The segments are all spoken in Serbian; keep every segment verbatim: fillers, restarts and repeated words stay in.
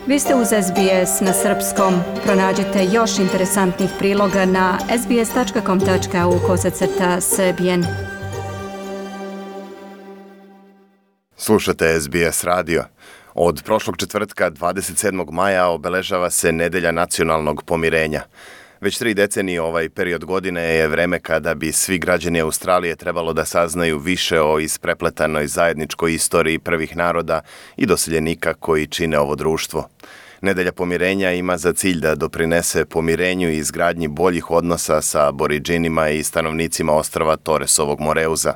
Vi ste uz S B S na srpskom. Pronađite još interesantnih priloga na sbs.com.au kosacrta srbijen. Slušate S B S radio. Od prošlog četvrtka dvadeset sedmog maja obeležava se Nedelja nacionalnog pomirenja. Već tri decenije ovaj period godine je vreme kada bi svi građani Australije trebalo da saznaju više o isprepletanoj zajedničkoj istoriji prvih naroda i doseljenika koji čine ovo društvo. Nedelja pomirenja ima za cilj da doprinese pomirenju i izgradnji boljih odnosa sa Aboridžinima i stanovnicima ostrva Toresovog Moreuza.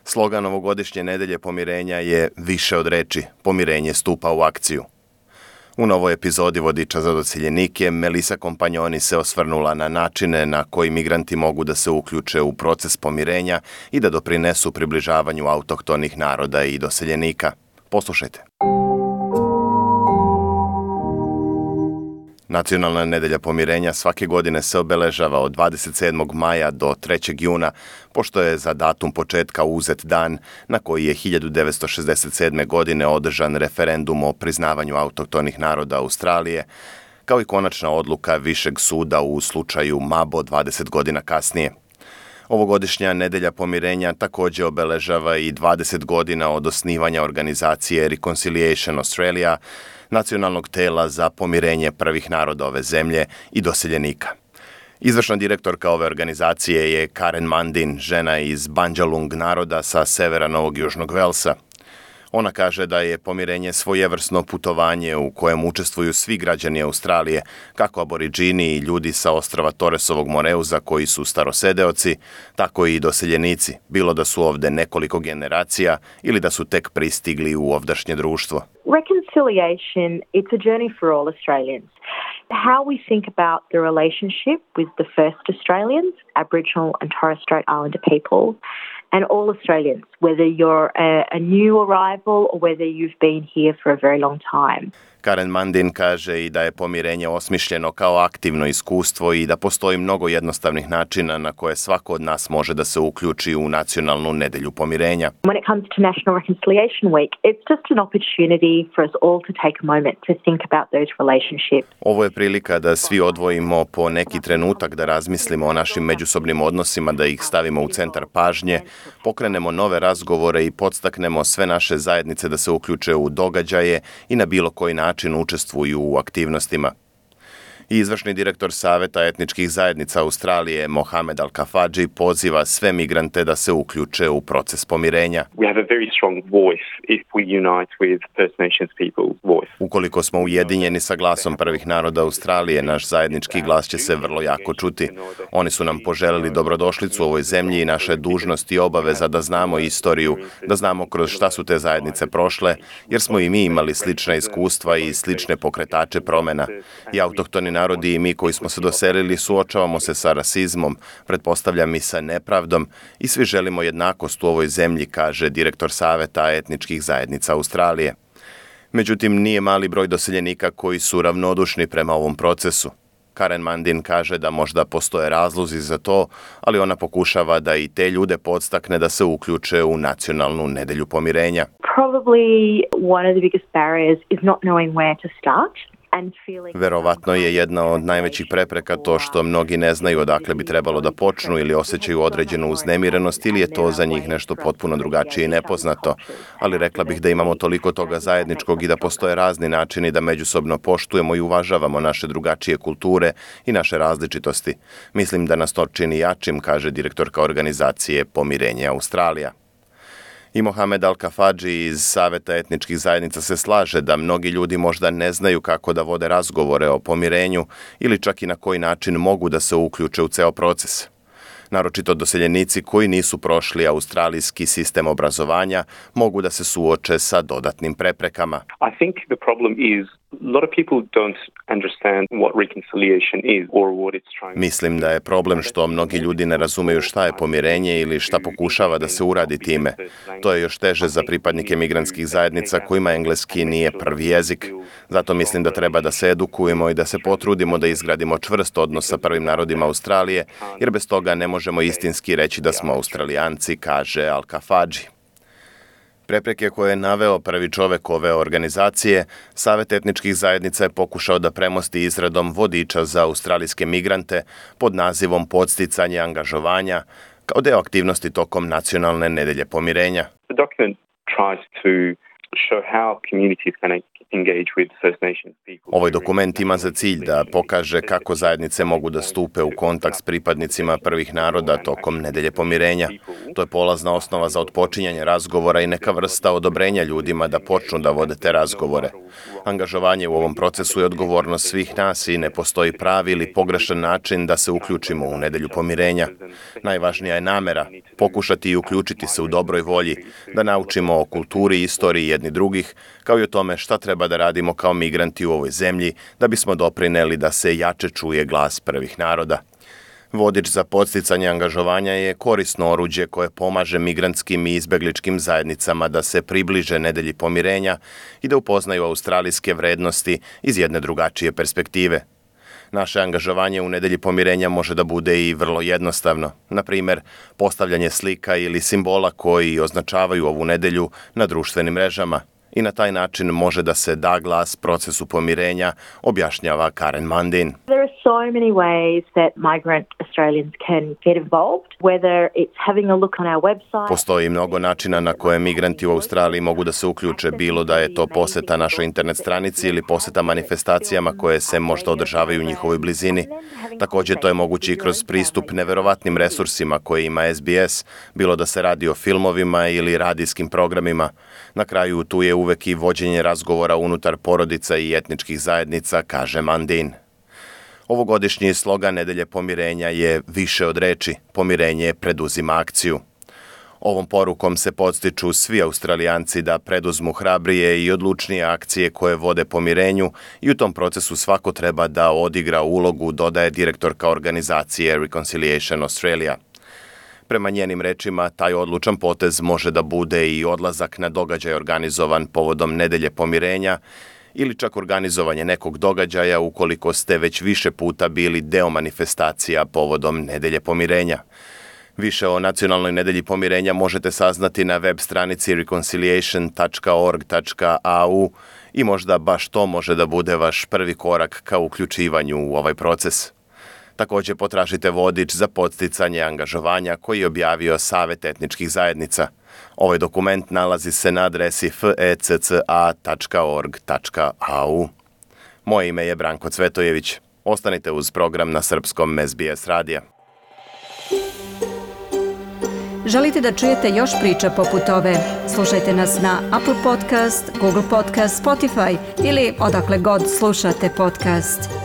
Slogan ovogodišnje Nedelje pomirenja je više od reči, pomirenje stupa u akciju. U novoj epizodi Vodiča za doseljenike Melisa Kompanjoni se osvrnula na načine na koji migranti mogu da se uključe u proces pomirenja i da doprinesu približavanju autohtonih naroda i doseljenika. Poslušajte. Nacionalna nedelja pomirenja svake godine se obeležava od dvadeset sedmog maja do trećeg juna, pošto je za datum početka uzet dan na koji je hiljadu devetsto šezdeset sedme. godine održan referendum o priznavanju autohtonih naroda Australije, kao i konačna odluka Višeg suda u slučaju Mabo dvadeset godina kasnije. Ovogodišnja nedelja pomirenja također obeležava i dvadeset godina od osnivanja organizacije Reconciliation Australia, nacionalnog tela za pomirenje prvih naroda ove zemlje i doseljenika. Izvršna direktorka ove organizacije je Karen Mandin, žena iz Bandjalung naroda sa severa Novog Južnog Velsa. Ona kaže da je pomirenje svojevrsno putovanje u kojem učestvuju svi građani Australije, kako Aboridžini i ljudi sa ostrva Toresovog Moreuza koji su starosedeoci, tako i doseljenici, bilo da su ovde nekoliko generacija ili da su tek pristigli u ovdašnje društvo. Reconciliation, it's a journey for all Australians. How we think about the relationship with the first Australians, Aboriginal and Torres Strait Islander people, and all Australians, whether you're a, a new arrival or whether you've been here for a very long time. Karen Mandin kaže i da je pomirenje osmišljeno kao aktivno iskustvo i da postoji mnogo jednostavnih načina na koje svako od nas može da se uključi u nacionalnu nedelju pomirenja. When it comes to National Reconciliation Week, it's just an opportunity for us all to take a moment to think about those relationships. Ovo je prilika da svi odvojimo po neki trenutak da razmislimo o našim međusobnim odnosima, da ih stavimo u centar pažnje, pokrenemo nove razgovore i podstaknemo sve naše zajednice da se uključe u događaje i na bilo koji način učestvuju u aktivnostima. I izvršni direktor Saveta etničkih zajednica Australije, Mohamed Al-Kafadži, poziva sve migrante da se uključe u proces pomirenja. We have a very strong voice if we unite with First Nations people's voice. Ukoliko smo ujedinjeni sa glasom prvih naroda Australije, naš zajednički glas će se vrlo jako čuti. Oni su nam poželeli dobrodošlicu u ovoj zemlji i naša je dužnost i obaveza da znamo istoriju, da znamo kroz šta su te zajednice prošle, jer smo i mi imali slična iskustva i slične pokretače promena. I autohtoni narodi i mi koji smo se doselili suočavamo se sa rasizmom, pretpostavljam i sa nepravdom i svi želimo jednakost u ovoj zemlji, kaže direktor Saveta etničkih zajednica Australije. Međutim, nije mali broj doseljenika koji su ravnodušni prema ovom procesu. Karen Mandin kaže da možda postoje razlozi za to, ali ona pokušava da i te ljude podstakne da se uključe u nacionalnu nedelju pomirenja. Probably one of the biggest barriers is not knowing where to start. Verovatno je jedna od najvećih prepreka to što mnogi ne znaju odakle bi trebalo da počnu ili osjećaju određenu uznemirenost ili je to za njih nešto potpuno drugačije i nepoznato. Ali rekla bih da imamo toliko toga zajedničkog i da postoje razni načini da međusobno poštujemo i uvažavamo naše drugačije kulture i naše različitosti. Mislim da nas to čini jačim, kaže direktorka organizacije Pomirenje Australija. I Mohamed Al-Kafadži iz Saveta etničkih zajednica se slaže da mnogi ljudi možda ne znaju kako da vode razgovore o pomirenju ili čak i na koji način mogu da se uključe u ceo proces. Naročito doseljenici koji nisu prošli australijski sistem obrazovanja mogu da se suoče sa dodatnim preprekama. I think the problem is a lot of people don't understand what reconciliation is or what it's trying. Mislim da je problem što mnogi ljudi ne razumeju šta je pomirenje ili šta pokušava da se uradi time. To je još teže za pripadnike migrantskih zajednica kojima engleski nije prvi jezik. Zato mislim da treba da se edukujemo i da se potrudimo da izgradimo čvrst odnos sa prvim narodima Australije, jer bez toga ne možemo istinski reći da smo Australijanci, kaže Al-Kafadži. Prepreke koje je naveo prvi čovek ove organizacije, Savet etničkih zajednica je pokušao da premosti izradom vodiča za australijske migrante pod nazivom Podsticanje angažovanja kao deo aktivnosti tokom Nacionalne nedelje pomirenja. The document tries to show how communities can engage with First Nations people. Ovaj dokument ima za cilj da pokaže kako zajednice mogu da stupe u kontakt s pripadnicima prvih naroda tokom nedelje pomirenja. To je polazna osnova za otpočinjanje razgovora i neka vrsta odobrenja ljudima da počnu da vode te razgovore. Angažovanje u ovom procesu je odgovornost svih nas i ne postoji pravi ili pogrešan način da se uključimo u nedelju pomirenja. Najvažnija je namera, pokušati i uključiti se u dobroj volji, da naučimo o kulturi i istoriji jedni drugih, kao i o tome šta treba da radimo kao migranti u ovoj zemlji da bismo doprineli da se jače čuje glas prvih naroda. Vodič za podsticanje angažovanja je korisno oruđe koje pomaže migrantskim i izbegličkim zajednicama da se približe nedelji pomirenja i da upoznaju australijske vrednosti iz jedne drugačije perspektive. Naše angažovanje u nedelji pomirenja može da bude i vrlo jednostavno. Na primer, postavljanje slika ili simbola koji označavaju ovu nedelju na društvenim mrežama. I na taj način može da se da glas procesu pomirenja, objašnjava Karen Mundine. There are so many ways that migrant Australians can get involved, whether it's having a look on our website. Postoji mnogo načina na koje migranti u Australiji mogu da se uključe, bilo da je to poseta našoj internet stranici ili poseta manifestacijama koje se možda održavaju u njihovoj blizini. Takođe, to je moguće i kroz pristup neverovatnim resursima koje ima S B S, bilo da se radi o filmovima ili radijskim programima. Na kraju tu je uvek i vođenje razgovora unutar porodica i etničkih zajednica, kaže Mundine. Ovogodišnji slogan Nedelje pomirenja je više od reči, pomirenje preduzima akciju. Ovom porukom se podstiču svi Australijanci da preduzmu hrabrije i odlučnije akcije koje vode pomirenju i u tom procesu svako treba da odigra ulogu, dodaje direktorka organizacije Reconciliation Australia. Prema njenim rečima, taj odlučan potez može da bude i odlazak na događaj organizovan povodom Nedelje pomirenja ili čak organizovanje nekog događaja ukoliko ste već više puta bili deo manifestacija povodom Nedelje pomirenja. Više o Nacionalnoj nedelji pomirenja možete saznati na web stranici reconciliation tačka org tačka a u i možda baš to može da bude vaš prvi korak ka uključivanju u ovaj proces. Takođe potražite vodič za podsticanje angažovanja koji je objavio Savet etničkih zajednica. Ovaj dokument nalazi se na adresi f e c c a tačka org tačka a u. Moje ime je Branko Cvetojević. Ostanite uz program na srpskom S B S radija. Želite da čujete još priča poput ove? Slušajte nas na Apple Podcast, Google Podcast, Spotify ili odakle god slušate podcast.